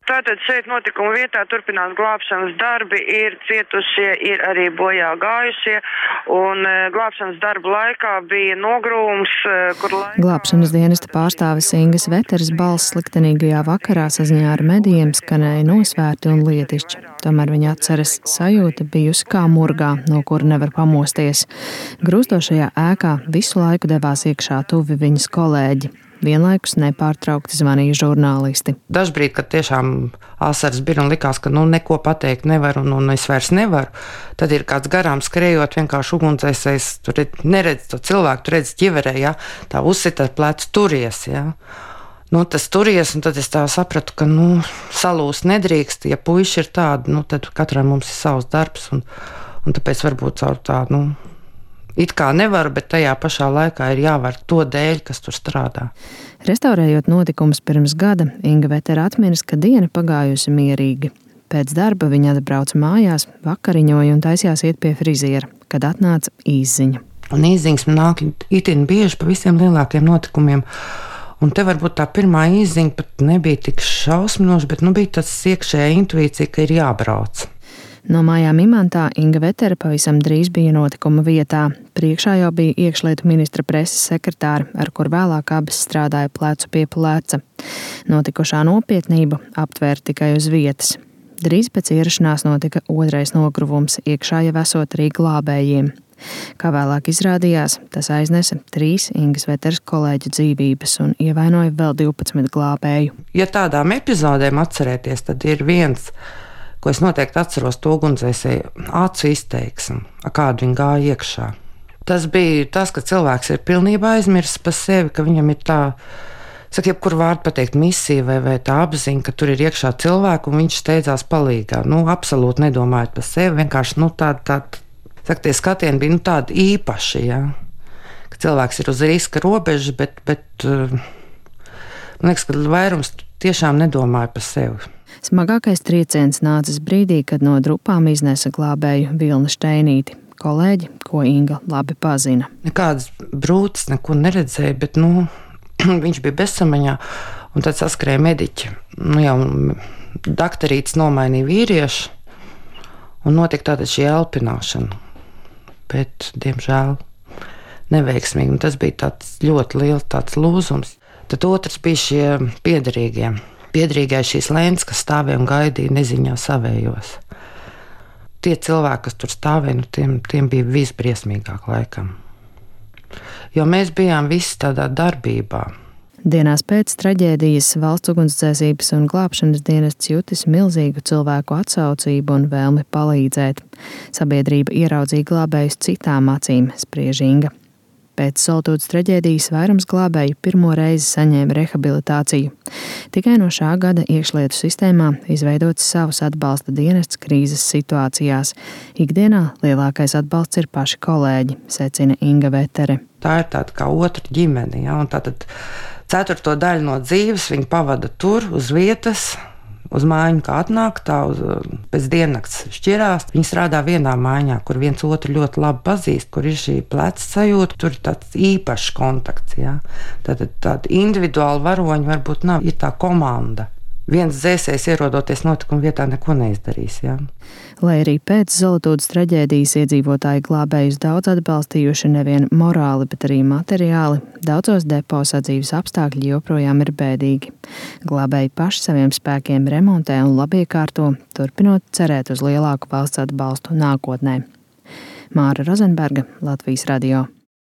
Tātad šeit notikuma vietā turpinās glābšanas darbi, ir cietušie, ir arī bojā gājušie, un glābšanas darbu laikā bija nogrūms, kur laikā... Glābšanas dienesta pārstāvis Ingas Veteres balss sliktenīgajā vakarā saziņā ar medijiem skanēja nosvērti un lietišķi. Tomēr viņa atceras sajūta bijusi kā murgā, no kura nevar pamosties. Grūstošajā ēkā visu laiku devās iekšā tuvi viņas kolēģi. Vienlaikus nepārtraukti zvanīja žurnālisti. Dažbrīd, kad tiešām asaras bija un likās, ka neko pateikt nevaru un es vairs nevaru, tad ir kāds garām skrējot, vienkārši ugunsdzēsējs, tur neredz to cilvēku, tu redz ķiverē, ja, tā uzsita ar plecu, turies, ja. Tas turies, un tad es tā sapratu, ka, salūst nedrīkst, ja puiši ir tādi, tad katram mums ir savs darbs, un tāpēc varbūt caur tā, it kā nevar, bet tajā pašā laikā ir jāvar to dēļ, kas tur strādā. Restaurējot notikumus pirms gada, Inga Vetere atminas, ka diena pagājusi mierīgi. Pēc darba viņa atbrauca mājās, vakariņoja un taisījās iet pie friziera, kad atnāca īsziņa. Un īsziņas man nāk itin bieži pa visiem lielākiem notikumiem. Un te varbūt tā pirmā īsziņa pat nebija tik šausminoša, bet bija tas iekšējā intuīcija, ka ir jābrauc. No mājām Imantā Inga Vetere pavisam drīz bija notikuma vietā. Priekšā jau bija iekšlietu ministra preses sekretāra, ar kur vēlāk abas strādāja plecu pie pleca. Notikušā nopietnību aptvēra tikai uz vietas. Drīz pēc ierašanās notika otrais nogruvums, iekšā jau esot arī glābējiem. Kā vēlāk izrādījās, tas aiznesa 3 Ingas Veteres kolēģu dzīvības un ievainoja vēl 12 glābēju. Ja tādām epizodēm atcerēties, tad ir viens, ko es noteikti atceros, to ugunsdzēsēju acu izteiksmi, kādu viņi gāja iekšā. Tas bija tas, ka cilvēks ir pilnībā aizmirsis par sevi, ka viņam ir tā, jebkur vārdu pateikt misija vai tā apziņa, ka tur ir iekšā cilvēku un viņš steidzās palīgā. Absolūti nedomājot par sevi, vienkārši tie skatieni bija tādi īpaši, ja? Ka cilvēks ir uz riska robežas, bet man liekas, ka vairums tiešām nedomāja par sevi. Smagākais trieciens nācis brīdī, kad no drupām iznesa glābēju Vilna Šteinīti, kolēģi, ko Inga labi pazina. Nekādas brūces neko neredzēja, bet viņš bija bezsamaņā, un tad saskrēja mediķi. Jau daktarītis nomainīja vīriešu, un notika tāda šī elpināšana, bet, diemžēl, neveiksmīgi. Un tas bija tāds ļoti liels tāds lūzums. Tad otrs bija šie piederīgie. Piedrīgais šīs lēns, kas stāvēja un gaidīja neziņā savējos. Tie cilvēki, kas tur stāvēja, tiem bija visbriesmīgāk laikam. Jo mēs bijām visi tādā darbībā. Dienās pēc traģēdijas Valsts ugunsdzēsības un glābšanas dienests jutis milzīgu cilvēku atsaucību un vēlmi palīdzēt. Sabiedrība ieraudzīja glābējus citām acīm, spriež Inga. Pēc Soltūdes traģēdijas vairums glābēju pirmo reizi saņēma rehabilitāciju. Tikai no šā gada iekšlietu sistēmā izveidots savs atbalsta dienests krīzes situācijās. Ikdienā lielākais atbalsts ir paši kolēģi, secina Inga Vetere. Tā ir tāda kā otra ģimene, ja? Un tātad 4. daļu no dzīves viņi pavada tur uz vietas, uz mājiņu, kā atnāk, tā pēc diennakts šķirās. Viņi strādā vienā mājā, kur viens otru ļoti labi pazīst, kur ir šī pleca sajūta, tur ir tāds īpašs kontakts. Ja? Tāda individuāla varoņa varbūt nav, ir tā komanda. Viens dzēsējs ierodoties notikuma vietā neko neizdarīs. Ja? Lai arī pēc Soltūdes traģēdijas iedzīvotāji glābējus daudz atbalstījuši nevien morāli, bet arī materiāli, daudzos depo sadzīves apstākļi joprojām ir bēdīgi. Glābēji paši saviem spēkiem remontē un labiekārto, turpinot cerēt uz lielāku valsts atbalstu nākotnē. Māra Rozenberga, Latvijas radio.